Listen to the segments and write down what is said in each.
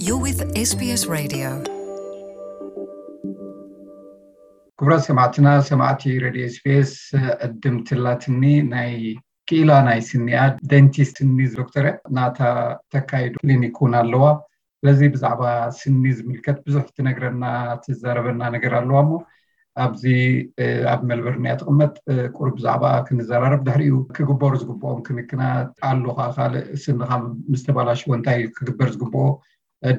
You're with S B S Radio. ክቡራት ሰማዕትና፣ ሰማዕቲ ሬድዮ ኤስቢኤስ፣ ዕድም ትላትኒ ናይ ክኢላ ናይ ስኒያ፣ ዴንቲስት፣ ስኒ ዶክተር ናታ ተካይዱ ክሊኒክ እውን ኣለዋ። ስለዚ ብዛዕባ ስኒ ዝምልከት ብዙሕ ትነግረና፣ ትዛረበና ነገር ኣለዋ። እሞ ኣብዚ ኣብ ሜልበርን እያ ትቕመጥ። ቁሩብ ብዛዕባ ክንዘራረብ፣ ድሕሪኡ ክግበሩ ዝግብኦም ክንክናት ኣሉ፣ ካልእ ስንኻ ምስ ተባላሽዎ እንታይ ክግበር ዝግብኦ፣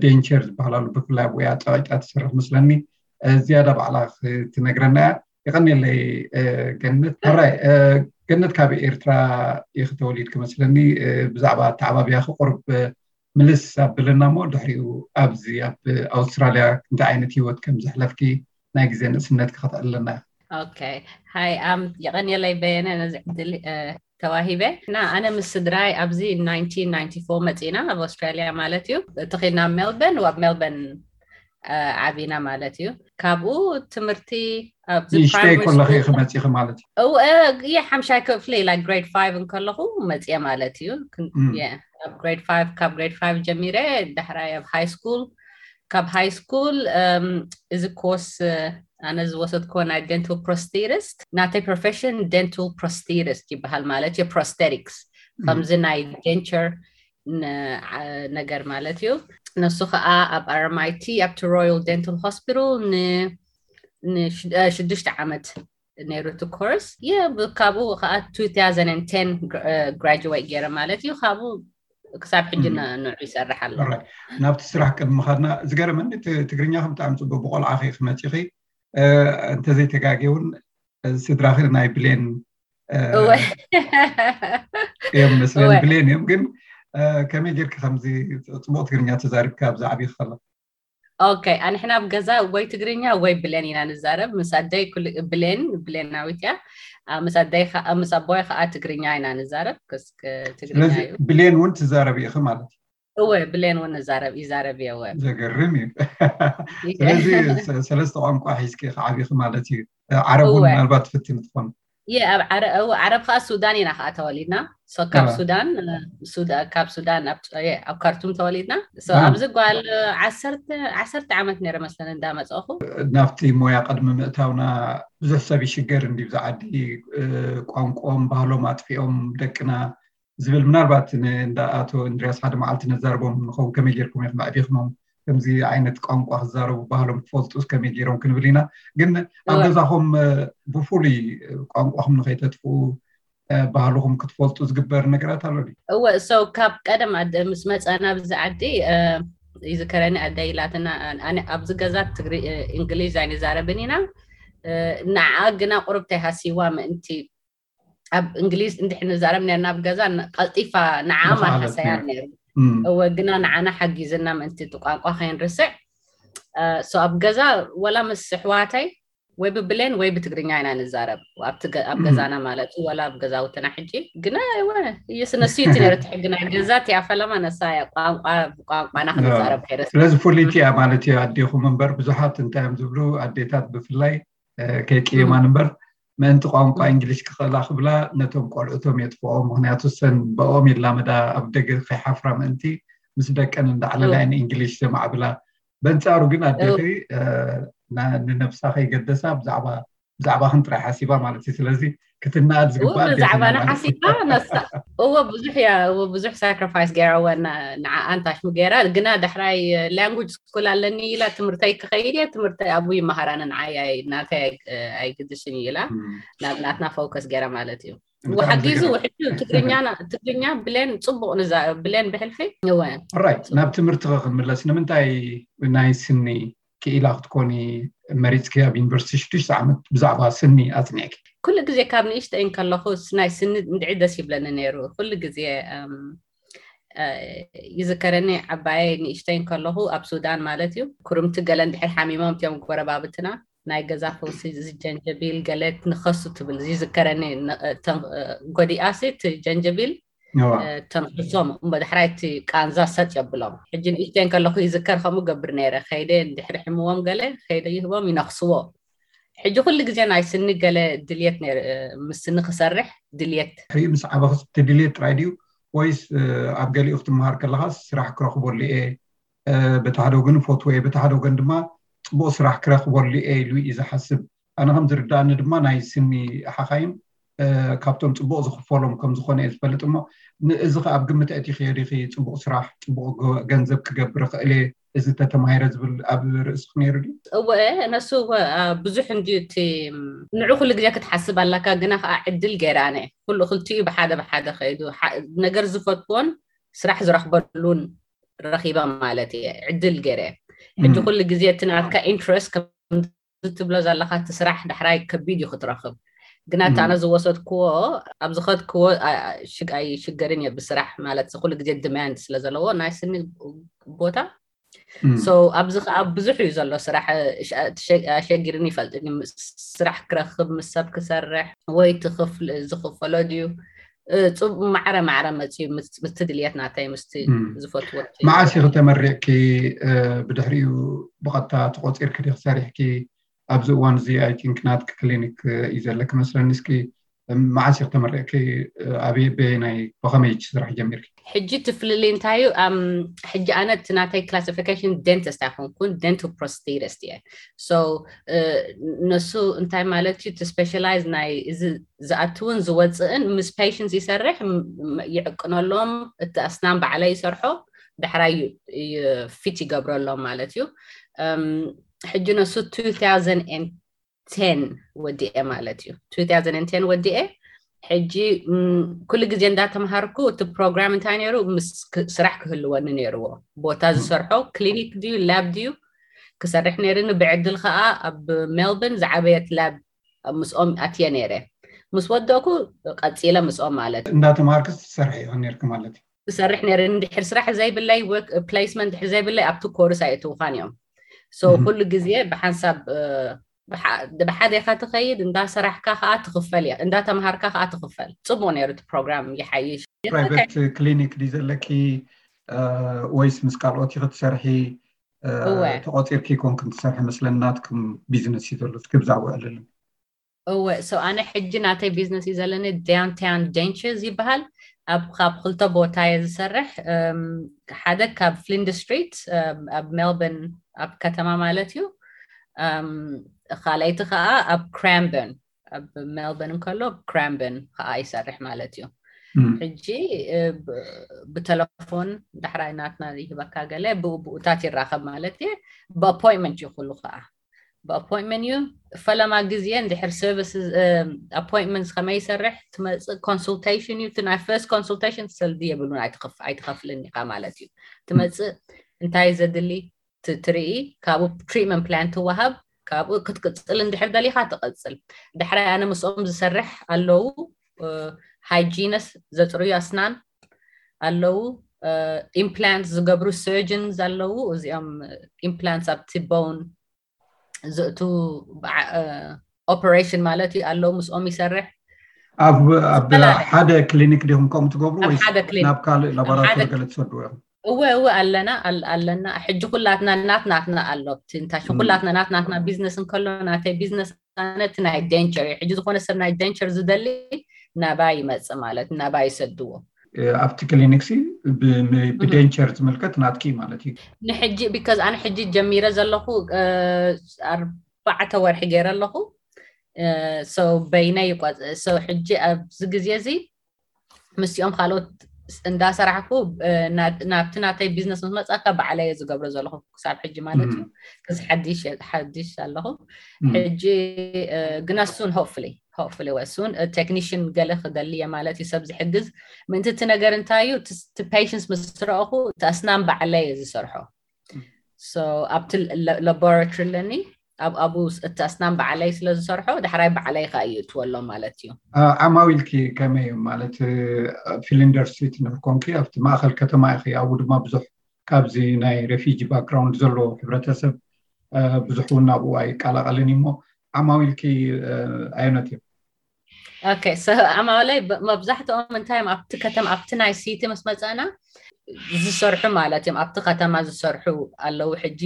ዴንቸር ዝበሃል ኣሎ፣ ብፍላይ ኣብኡ እያ ጸቒጣ ትሰርሕ መስለኒ። ዝያዳ ባዕላ ክትነግረና እያ። የቐንየለይ ገነት። ሕራይ ገነት፣ ካብ ኤርትራ ኢኺ ተወሊድኪ መስለኒ። ብዛዕባ ኣተዓባብያኺ ቁሩብ ምልስ ኣብለና እሞ፣ ድሕሪኡ ኣብዚ ኣብ ኣውስትራልያ እንታይ ዓይነት ህይወት ከም ዘሕለፍኪ ናይ ግዜ ንእስነትኪ ከተዕልለና። ኦኬ። ሃይ ኣም፣ የቐንየለይ በየነ ነዚ ዕድል ተዋሂበ። እና ኣነ ምስ ስድራይ ኣብዚ ናይንቲን ናይንቲ ፎር መፂና፣ ኣብ ኣውስትራልያ ማለት እዩ። ተኺልና ሜልበርን፣ ኣብ ሜልበርን ዓቢና ማለት እዩ። ካብኡ ትምህርቲ ንእሽተይ ከለኺ ክመፂኺ ማለት እዩ። የ ሓምሻይ ክፍሊ ላ ግሬድ ፋይቭ እንከለኹ መፅየ ማለት እዩ። ኣብ ግሬድ ፋይቭ፣ ካብ ግሬድ ፋይቭ ጀሚረ፣ ዳሕራይ ኣብ ሃይ ስኩል፣ ካብ ሃይ ስኩል እዚ ኮርስ ኣነ ዝወሰድኮ ናይ ዴንታል ፕሮስቴቲስት፣ ናተይ ፕሮፌሽን ዴንታል ፕሮስቴቲስት ይበሃል ማለት እዩ። ፕሮስቴቲክስ ከምዚ ናይ ዴንቸር ነገር ማለት እዩ። ነሱ ከዓ ኣብ ኣርኤምኣይቲ ኣብቲ ሮያል ዴንታል ሆስፒታል ንሽዱሽተ ዓመት ነይሩ እቲ ኮርስ። የ ካብኡ ከዓ ቱ ታውዘንድ ቴን ግራጁዌት ገይረ ማለት እዩ። ካብኡ ክሳብ ሕጂ ንዑ ይሰርሕ ኣሎ። ናብቲ ስራሕ ቅድሚ ምኻድና፣ ዝገረመኒ ትግርኛኺ ብጣዕሚ ፅቡቅ፣ ብቆልዓኺ ክመፂኺ እንተዘይተጋጌ እውን ስድራኺ ናይ ብሌን እዮም መስለኒ። ብሌን እዮም። ግን ከመይ ጌርኪ ከምዚ ፅቡቅ ትግርኛ ተዛሪብኪ ኣብዚ ዓብይኪ ከለኺ? ኦኬ፣ ኣንሕና ኣብ ገዛ ወይ ትግርኛ ወይ ብሌን ኢና ንዛረብ። ምስ ኣደይ ብሌን፣ ብሌናዊት እያ። ምስ ኣቦይ ከዓ ትግርኛ ኢና ንዛረብ። ትግርኛ እዩ። ብሌን እውን ትዛረቢ ኢኺ ማለት እዩ? እወ፣ ብሌን እውን ንዛረብ፣ ይዛረብ እየ። እወ። ዘገርም እዩ። ስለዚ ሰለስተ ቋንቋ ሒዝኪ ኢኺ ዓቢኺ ማለት እዩ። ዓረብ እውን ምናልባት ትፍትኒ ትኾኒ? የ ኣብ ዓረብ ከዓ ሱዳን ኢና ከዓ ተወሊድና። ካብ ሱዳን፣ ካብ ሱዳን ኣብ ካርቱም ተወሊድና። ኣብዚ ጓል ዓሰርተ ዓመት ነይረ መስለኒ እንዳመፀኹ። ናብቲ ሞያ ቅድሚ ምእታውና ብዙሕ ሰብ ይሽገር እንዲ፣ ብዛ ዓዲ ቋንቋኦም ባህሎም ኣጥፊኦም ደቅና ዝብል፣ ምናልባት እንዳ ኣቶ እንድርያስ ሓደ መዓልቲ ነዛርቦም ንኸውን፣ ከመይ ጌርኩም ኢኹም ኣዕቢኽሞም ከምዚ ዓይነት ቋንቋ ክዛረቡ ባህሎም ክፈልጡ ከመይ ጌሮም ክንብል ኢና። ግን ኣብ ገዛኹም ብፍሉይ ቋንቋኹም ንኸይተጥፍኡ ባህልኹም ክትፈልጡ ዝግበር ነገራት ኣሎ ድዩ? እወ፣ so ካብ ቀደም ምስ መፀና ኣብዚ ዓዲ ይዝከረኒ፣ ኣደ ኢላትና፣ ኣብዚ ገዛ እንግሊዝ ኣይንዛረብን ኢና፣ ንዓ ግና ቁሩብ ተይሃሲዋ ምእንቲ ኣብ እንግሊዝ እንድሕር ንዛረብ ነርና ኣብ ገዛ፣ ቀልጢፋ ንዓ ማሓሰያ ነይሩ። እወ፣ ግና ንዓና ሓጊዝና ምእንቲ እቲ ቋንቋ ከይንርስዕ። So ኣብ ገዛ ወላ ምስ ኣሕዋተይ ወይ ብብሌን ወይ ብትግርኛ ኢና ንዛረብ ኣብ ገዛና ማለት እዩ፣ ወላ ኣብ ገዛውትና። ሕጂ ግና እወ፣ እየስ ነሱ እቲ ነረ ትሕግና ገዛ እቲኣ ፈለማ ነሳ እያ፣ ቋንቋ ብቋንቋና ክንዛረብ ከይረስ። ስለዚ ፍልይቲ እያ ማለት እዩ ኣዴኹም እምበር፣ ብዙሓት እንታይ እዮም ዝብሉ ኣዴታት ብፍላይ ከይቅየማን እምበር ምእንቲ ቋንቋ እንግሊሽ ክኽእላ ክብላ ነቶም ቆልዑቶም የጥፍኦም። ምክንያቱ ሰን ብኦም ይላመዳ፣ ኣብ ደገ ከይሓፍራ ምእንቲ ምስ ደቀን እንዳዕለላ እየን እንግሊሽ ዘማዕብላ። በንጻሩ ግን ኣዴኺ ንነብሳ ከይገደሳ ብዛዕባ ብዛዕባኽን ጥራይ ሓሲባ ማለት እዩ። ስለዚ ክትነኣድ ዝግባኣ ብዛዕባና ሓሲባ ነሳ እወ ብዙሕ እያ እወ ብዙሕ ሳክሪፋይስ ገይራ እወ ንዓኣ እንታሽሙ ገይራ ግና ዳሕራይ ላንጉጅ ስኩል ኣለኒ ኢላ ትምህርተይ ክኸይድ እየ ትምህርተይ ኣብኡ ይመሃራኒ ንዓይ ናተይ ኣይግድስን እዩ ኢላ ናብ ናትና ፎከስ ገይራ ማለት እዩ። ወሓጊዙ ውሕዱ ትግርኛ ትግርኛ ብሌን ጽቡቕ ንዛ ብሌን ብሕልፊ እወ ራይት ናብ ትምህርትኸ ክንምለስ ንምንታይ ናይ ስኒ ክኢላ ክትኮኒ መሪፅኪ ኣብ ዩኒቨርሲቲ ሽዱሽተ ዓመት ብዛዕባ ስኒ ኣፅኒዕኪ? ኩሉ ግዜ ካብ ንእሽተይ እንከለኹ ናይ ስኒ እንድዒ ደስ ይብለኒ ነይሩ። ኩሉ ግዜ ይዝከረኒ ዓባየይ ንእሽተይ እንከለኹ ኣብ ሱዳን ማለት እዩ ክርምቲ ገለ እንድሕር ሓሚሞም እትዮም ጎረባብትና ናይ ገዛ ፈውሲ ዝጀንጀቢል ገለ ንኸሱ ትብል ይዝከረኒ። ጎዲኣሲ እቲ ጀንጀቢል ተንክሶም እሞ ዳሕራይ እቲ ቃንዛ ሰጥ የብሎም። ሕጂ ንእሽተይ እንከለኹ ይዝከር ከምኡ ገብር ነይረ። ከይደ እንድሕሪ ሕምዎም ገለ ከይደ ይህቦም ይነኽስዎ። ሕጂ ኩሉ ግዜ ናይ ስኒ ገለ ድልየት ነይሩ ምስ ስኒ ክሰርሕ ድልየት። ሕሪኡ ምስ ዓበኽስ እቲ ድልየት ጥራይ ድዩ ወይስ ኣብ ገሊኡ ክትመሃር ከለኻስ ስራሕ ክረኽበሉ እየ በቲ ሓደ ወገን ፈትወ፣ በቲ ሓደ ወገን ድማ ፅቡቕ ስራሕ ክረኽበሉ እየ ኢሉ እዩ ዝሓስብ። ኣነ ከም ዝርዳእኒ ድማ ናይ ስኒ ሓኻይም ካብቶም ፅቡቕ ዝኽፈሎም ከም ዝኾነ እየ ዝፈልጥ። እሞ ንእዚ ከ ኣብ ግምት ኣእቲኽዮ ዲኺ? ፅቡቕ ስራሕ፣ ፅቡቕ ገንዘብ ክገብር እኽእል እየ፣ እዚ ተተማሂረ ዝብል ኣብ ርእስኺ ነይሩ ድዩ? እወ፣ ነሱ ብዙሕ እንዲ እቲ ንዑ ኩሉ ግዜ ክትሓስብ ኣለካ። ግና ከዓ ዕድል ገይረ ኣነ ኩሉ ክልቲኡ ብሓደ ብሓደ ከይዱ ነገር ዝፈትዎን ስራሕ ዝረኽበሉን ረኺበ ማለት እየ። ዕድል ገይረ ሕጂ ኩሉ ግዜ እቲ ናትካ ኢንትረስት ከም ትብሎ ዘለካ እቲ ስራሕ ዳሕራይ ከቢድ እዩ ክትረክብ። ግና እቲ ኣነ ዝወሰድክዎ ኣብ ዝኸድክዎ ኣይሽገርን እየ ብስራሕ ማለት ኩሉ ግዜ ዲማንድ ስለ ዘለዎ ናይ ስኒ ቦታ። So ኣብዚ ከዓ ብዙሕ እዩ ዘሎ ስራሕ። ኣሸጊርኒ ይፈልጥ፣ ስራሕ ክረክብ፣ ምስ ሰብ ክሰርሕ ወይ ዝኽፈሎ ድዩ፣ ማዕረ ማዕረ መፅዩ ምስቲ ድልየት ናተይ ምስቲ ዝፈትዎ። መዓስ ኢኺ ተመሪቕኪ? ብድሕሪኡ ብቐጥታ ተቆፂርኪ ዲኺ ሰሪሕኪ? ኣብዚ እዋን እዚ ኣይ ቲንክ ናትኪ ክሊኒክ እዩ ዘለኪ መስለኒ። እስኪ መዓስ ኢኺ ተመሪቕኪ? ኣበይ በየናይ ብኸመይ ስራሕ ጀሚርኪ? ሕጂ እቲ ፍልልይ እንታይ እዩ? ሕጂ ኣነ እቲ ናተይ ክላሲፊኬሽን ዴንቲስት ኣይኮንኩን፣ ዴንቶ ፕሮስቴቲስት እየ። So ነሱ እንታይ ማለት እዩ? እቲ ስፔሻላይዝ ናይ እዚ ዝኣትውን ዝወፅእን ምስ ፔሽንትስ ይሰርሕ፣ ይዕቅነሎም፣ እቲ ኣስናን ባዕለይ ይሰርሖ፣ ዳሕራይ ፊት ይገብረሎም ማለት እዩ። ሕጂ ነሱ two thousand ten ወዲኤ ማለት እዩ። Two thousand ten ወዲኤ ሕጂ ኩሉ ግዜ እንዳተምሃርኩ እቲ ፕሮግራም እንታይ ነይሩ፣ ምስ ስራሕ ክህልወኒ ነይርዎ። ቦታ ዝሰርሖ ክሊኒክ ድዩ ላብ ድዩ ክሰርሕ ነይርኒ። ብዕድል ከዓ ኣብ ሜልበርን ዝዓበየት ላብ ምስኦም ኣትየ ነይረ። ምስ ወደእኩ ቀፂለ ምስኦም ማለት እዩ። እንዳተምሃርኪ ትሰርሒ ኢኺ ነይርኪ ማለት እዩ? ዝሰርሕ ነይረ። እንድሕር ስራሕ ዘይብለይ፣ ፕሌስመንት ድሕር ዘይብለይ ኣብቲ ኮርስ ኣየእትውኻን እዮም። So ኩሉ ግዜ ብሓንሳብ ብሓደ ኢኻ ትኸይድ፣ እንዳሰራሕካ ከዓ ትኽፈል እያ፣ እንዳተምሃርካ ከዓ ትኽፈል። ፅቡቅ ነይሩ እቲ ፕሮግራም፣ ይሓይሽ። ፕራይቬት ክሊኒክ ድዩ ዘለኪ ወይስ ምስ ካልኦት ኢኺ ትሰርሒ? ተቆፂርኪ ኮንክን ትሰርሒ መስለኒ፣ ናትኩም ቢዝነስ እዩ ዘሎ። እስኪ ብዛዕባ ዕልልን እወ፣ so ኣነ ሕጂ ናተይ ቢዝነስ እዩ ዘለኒ፣ ዳውንታውን ደንቸርስ ይበሃል። ኣብ ካብ ክልተ ቦታ እየ ዝሰርሕ። ሓደ ካብ ፍሊንድ ስትሪት ኣብ ሜልበርን፣ ኣብ ከተማ ማለት እዩ። ካልኣይቲ ከዓ ኣብ ክራምበን፣ ኣብ ሜልበርን እንከሎ ክራምበን ከዓ ይሰርሕ ማለት እዩ። ሕጂ ብተለፎን ዳሕራይ ናትና ይህበካ ገለ ብኡ ብኡታት ይራኸብ ማለት እየ። ብኣፖይንትመንት እዩ ኩሉ ከዓ ብኣፖይንትመንት እዩ። ፈለማ ግዜ እንድሕር ሰርቪስ ኣፖይንትመንት ከመይ ይሰርሕ ትመፅእ፣ ኮንሱልቴሽን እዩ። እቲ ናይ ፈርስት ኮንሱልቴሽን ሰልዲ የብሉን፣ ኣይትኸፍልን ኢኻ ማለት እዩ። ትመፅእ እንታይ ዘድሊ ትርኢ፣ ካብኡ ትሪትመንት ፕላን ትወሃብ፣ ካብኡ ክትቅፅል እንድሕር ደሊኻ ትቐፅል። ዳሕራይ ኣነ ምስኦም ዝሰርሕ ኣለዉ፣ ሃይጂነስ ዘፅርዩ ኣስናን ኣለዉ፣ ኢምፕላንት ዝገብሩ ሰርጅንስ ኣለዉ። እዚኦም ኢምፕላንት ኣብቲ ቦን ዘእቱ ኦፐሬሽን ማለት እዩ ኣለዉ፣ ምስኦም ይሰርሕ። ኣብ ሓደ ክሊኒክ ዲኹም ከምኡ ትገብሩ ወይስ ናብ ካልእ ላቦራቶሪ ገለ ትሰድዎ ኢኹም? እወ እወ፣ ኣለና ኣለና። ሕጂ ኩላትና ናት ናትና ኣሎ፣ እንታይ ኩላትና ናት ናትና ቢዝነስ እንከሎ ናተይ ቢዝነስ ኣነ እቲ ናይ ደንቸር እዩ። ሕጂ ዝኾነ ሰብ ናይ ደንቸር ዝደሊ ናባይ ይመፅእ ማለት ናባይ ይሰድዎ። ኣብቲ ክሊኒክ ሲ ብደንቸር ዝምልከት ናትኪ ማለት እዩ። ንሕጂ ቢካዝ ኣነ ሕጂ ጀሚረ ዘለኹ ኣርባዕተ ወርሒ ገይረ ኣለኹ። በይነይ ይቆፅ። ሕጂ ኣብዚ ግዜ እዚ ምስኦም ካልኦት እንዳሰራሕኩ ናብቲ ናተይ ቢዝነስ ምስ መፃካ ባዕለየ ዝገብሮ ዘለኹ ክሳብ ሕጂ ማለት እዩ። ክዚ ሓዲሽ ኣለኹ ሕጂ ግና ሱን ሆፕፍሊ ሆፕፍሊ ወ ሱን ቴክኒሽን ገለ ክደሊ እየ ማለት እዩ፣ ሰብ ዝሕግዝ። ምእንቲ እቲ ነገር እንታይ እዩ፣ እቲ ፔሽንስ ምስ ረእኹ እቲ ኣስናን ባዕለየ ዝሰርሖ። ኣብቲ ላቦራቶሪ ኣለኒ፣ ኣብኡ እቲ ኣስናን ባዕለይ ስለ ዝሰርሖ ዳሕራይ ባዕለይ ከ እየእትወሎም ማለት እዩ። ዓማዊልኪ ከመይ እዩ ማለት? ፍሊንደር ስትሪት ንክኮንኪ ኣብቲ ማእኸል ከተማ ኢኺ፣ ኣብኡ ድማ ብዙሕ ካብዚ ናይ ሬፊጂ ባክግራውንድ ዘለዎ ሕብረተሰብ ብዙሕ እውን ናብኡ ኣይቀላቐልን እሞ ዓማዊልኪ ኣየኖት እዮም? ኦኬ፣ ዓማውለይ መብዛሕትኦም እንታይ እዮም ኣብቲ ከተማ ኣብቲ ናይ ሲቲ ምስ መፀና ዝሰርሑ ማለት እዮም። ኣብቲ ከተማ ዝሰርሑ ኣለዉ። ሕጂ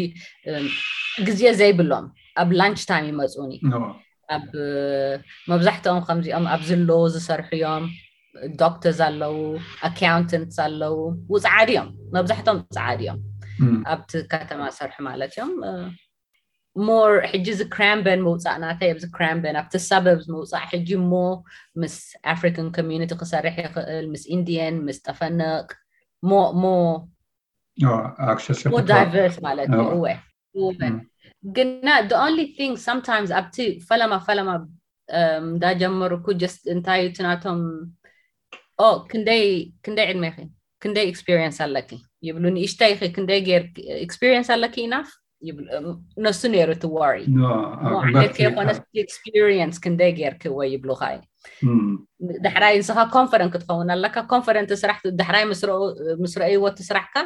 ግዜ ዘይብሎም ኣብ ላንች ታይም ይመፁኒ። ኣብ መብዛሕትኦም ከምዚኦም ኣብዚ ሎ ዝሰርሑ እዮም። ዶክተርስ ኣለዉ፣ ኣካውንተንትስ ኣለዉ። ውፅዓድ እዮም፣ መብዛሕትኦም ውፅዓድ እዮም። ኣብቲ ከተማ ሰርሑ ማለት እዮም። ሞር ሕጂ እዚ ክራምበን ምውፃእ ናተይ ኣብዚ ክራምበን ኣብቲ ሳበብስ ምውፃእ ሕጂ ሞ ምስ ኣፍሪካን ኮሚኒቲ ክሰርሕ ይኽእል፣ ምስ ኢንዲየን፣ ምስ ጠፈንቕ፣ ሞ ሞ ኣክሰስ ሞ ዳይቨርስ ማለት እዩ። እወ እወ ግና the only thing sometimes ኣብቲ ፈለማ ፈለማ እንዳጀመርኩ just እንታይ እቲ ናቶም ኦ ክንደይ ክንደይ ዕድሜኺ፣ ክንደይ ኤክስፒሪየንስ ኣለኪ ይብሉ። ንእሽተይኺ ክንደይ ጌር ኤክስፒሪየንስ ኣለኪ ኢናፍ ይብሉ። ነሱ ነይሩ እቲ ወሪ። ዓመት ከይኮነስ ኤክስፒሪየንስ ክንደይ ጌርኪ ወይ ይብሉኻ እዩ። ዳሕራይ ንስኻ ኮንፈረንት ክትኸውን ኣለካ። ኮንፈረንት ስራሕ ዳሕራይ ምስ ረእይዎ እቲ ስራሕካ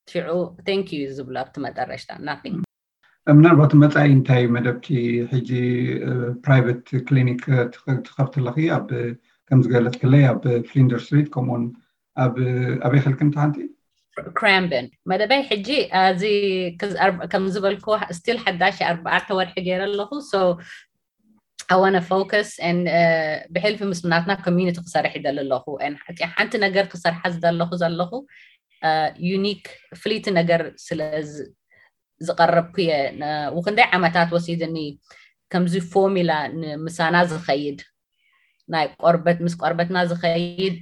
ሽዑ thank you ዝብሉ ኣብቲ መጠረሽታ nothing። ምናልባት መፃኢ እንታይ መደብኪ ሕጂ ፕራይቬት ክሊኒክ ትኸፍቲ ኣለኺ ኣብ ከም ዝገለፅክለይ ኣብ ፍሊንደር ስትሪት ከምኡውን ኣብ ኣበይ ከልክን ሓንቲ ክራምበን መደበይ ሕጂ እዚ ከም ዝበልኩ ስቲል ሓዳሽ ኣርባዕተ ወርሒ ገይረ ኣለኹ። So I want to focus and ብሕልፊ ምስ ናትና ኮሚኒቲ ክሰርሕ ይደሊ ኣለኹ። ሓንቲ ነገር ክሰርሓ ዝደለኹ ዘለኹ ዩኒክ ፍልይቲ ነገር ስለ ዝቐረብኩ እየ። ውክንደይ ዓመታት ወሲድኒ ከምዚ ፎርሚላ ንምሳና ዝኸይድ ናይ ቆርበት ምስ ቆርበትና ዝኸይድ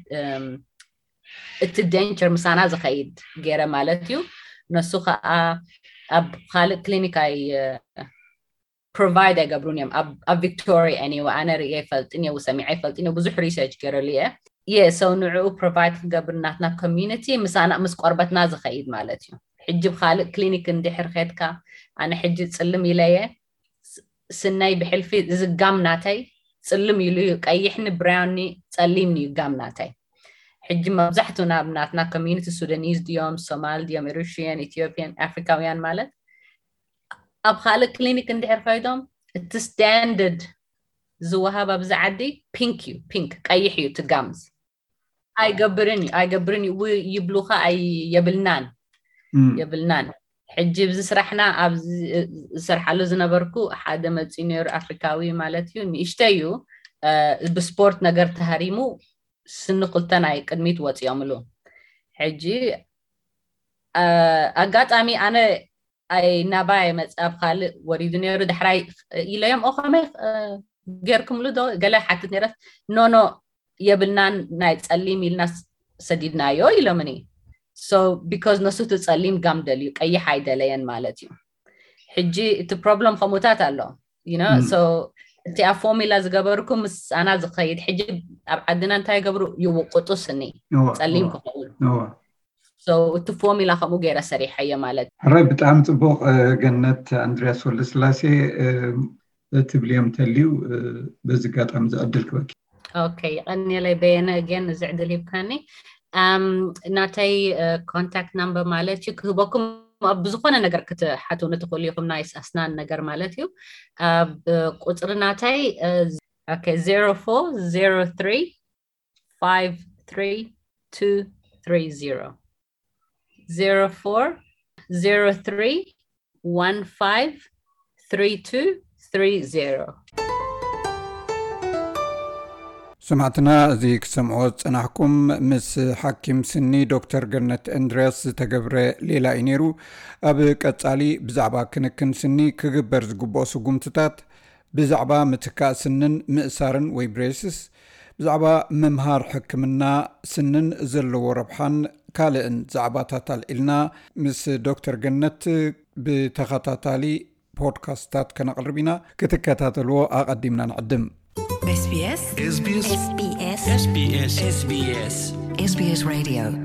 እቲ ደንቸር ምሳና ዝኸይድ ገይረ ማለት እዩ። ነሱ ከዓ ኣብ ካልእ ክሊኒክ ኣይ ፕሮቫይድ ኣይገብሩን እዮም ኣብ ቪክቶሪያ። Anyway ኣነ ርእየ ይፈልጥን እየ ሰሚዐ ይፈልጥን እየ ብዙሕ ሪሰርች ገይረሉ እየ። የ ሰው ንዕኡ ፕሮቫይድ ክገብር ናትና ኮሚኒቲ ምሳና ምስ ቆርበትና ዝኸይድ ማለት እዩ። ሕጂ ብካልእ ክሊኒክ እንድሕር ኸድካ ኣነ ሕጂ ፅልም ኢለየ ስነይ ብሕልፊ እዚ ጋም ናተይ ፅልም ኢሉ እዩ። ቀይሕኒ ብራውኒ ፀሊምኒ እዩ ጋም ናተይ። ሕጂ መብዛሕቱ ናብ ናትና ኮሚኒቲ ሱዳኒዝ ድዮም ሶማል ድዮም ኤሪትሪያን ኢትዮጵያን ኣፍሪካውያን ማለት ኣብ ካልእ ክሊኒክ እንድሕር ከይዶም እቲ ስታንደርድ ዝወሃብ ኣብዚ ዓዲ ፒንክ እዩ። ፒንክ ቀይሕ እዩ እቲ ጋምዝ። ኣይገብርን እዩ ኣይገብርን እዩ ይብሉኻ። ኣይ የብልናን የብልናን። ሕጂ ብዚ ስራሕና ኣብ ዝሰርሓሉ ዝነበርኩ ሓደ መፂኡ ነይሩ ኣፍሪካዊ ማለት እዩ። ንእሽተይ እዩ ብስፖርት ነገር ተሃሪሙ ስኒ ክልተ ናይ ቅድሚት ወፂኦምሉ። ሕጂ ኣጋጣሚ ኣነ ኣይ ናባይ መፅእ ኣብ ካልእ ወሪዱ ነይሩ። ዳሕራይ ኢለዮም ኦ ከመይ ጌርክምሉ ዶ ገለ ሓትት ነይረት። ኖኖ የብልናን ናይ ፀሊም ኢልና ሰዲድናዮ ኢሎምኒ። So because ነሱ እቲ ፀሊም ጋም ደልዩ ቀይሕ ኣይደለየን ማለት እዩ። ሕጂ እቲ ፕሮብለም ከምኡታት ኣሎ። እቲ ኣብ ፎርሚላ ዝገበርኩ ምስ ኣና ዝኸይድ ሕጂ ኣብ ዓድና እንታይ ይገብሩ ይውቅጡ ስኒ ፀሊም ክኸውን። So እቲ ፎርሚላ ከምኡ ገይረ ሰሪሐዮ ማለት። ሕራይ ብጣዕሚ ፅቡቅ። ገነት ኣንድሪያስ ወልደስላሴ ትብልዮም ተልዩ በዚ ኣጋጣሚ ዝዕድል ክበኪ። ኦኬ ቀኒለይ በየነ ግን እዚ ዕድል ሂብካኒ። ናተይ ኮንታክት ናምበር ማለት እዩ ክህበኩም ኣብ ብዝኾነ ነገር ክትሓትውኒ ትኽእሉ ኢኹም ናይ ኣስናን ነገር ማለት እዩ። ኣብ ቁፅሪ ናተይ ዜሮ ፎር ዜሮ ትሪ ፋይቭ ትሪ ቱ ትሪ ዜሮ ዜሮ ፎር ዜሮ ትሪ ዋን ፋይቭ ትሪ ቱ ትሪ ዜሮ። ሰማዕትና እዚ ክሰምዕዎ ዝፀናሕኩም ምስ ሓኪም ስኒ ዶክተር ገነት እንድርያስ ዝተገብረ ሌላ እዩ ነይሩ። ኣብ ቀፃሊ ብዛዕባ ክንክን ስኒ ክግበር ዝግብኦ ስጉምትታት ብዛዕባ ምትካእ ስንን ምእሳርን ወይ ብሬስስ ብዛዕባ ምምሃር ሕክምና ስንን ዘለዎ ረብሓን ካልእን ዛዕባታት ኣልዒልና ምስ ዶክተር ገነት ብተኸታታሊ ፖድካስታት ከነቕርብ ኢና። ክትከታተልዎ ኣቐዲምና ንዕድም። SBS SBS SBS SBS SBS SBS Radio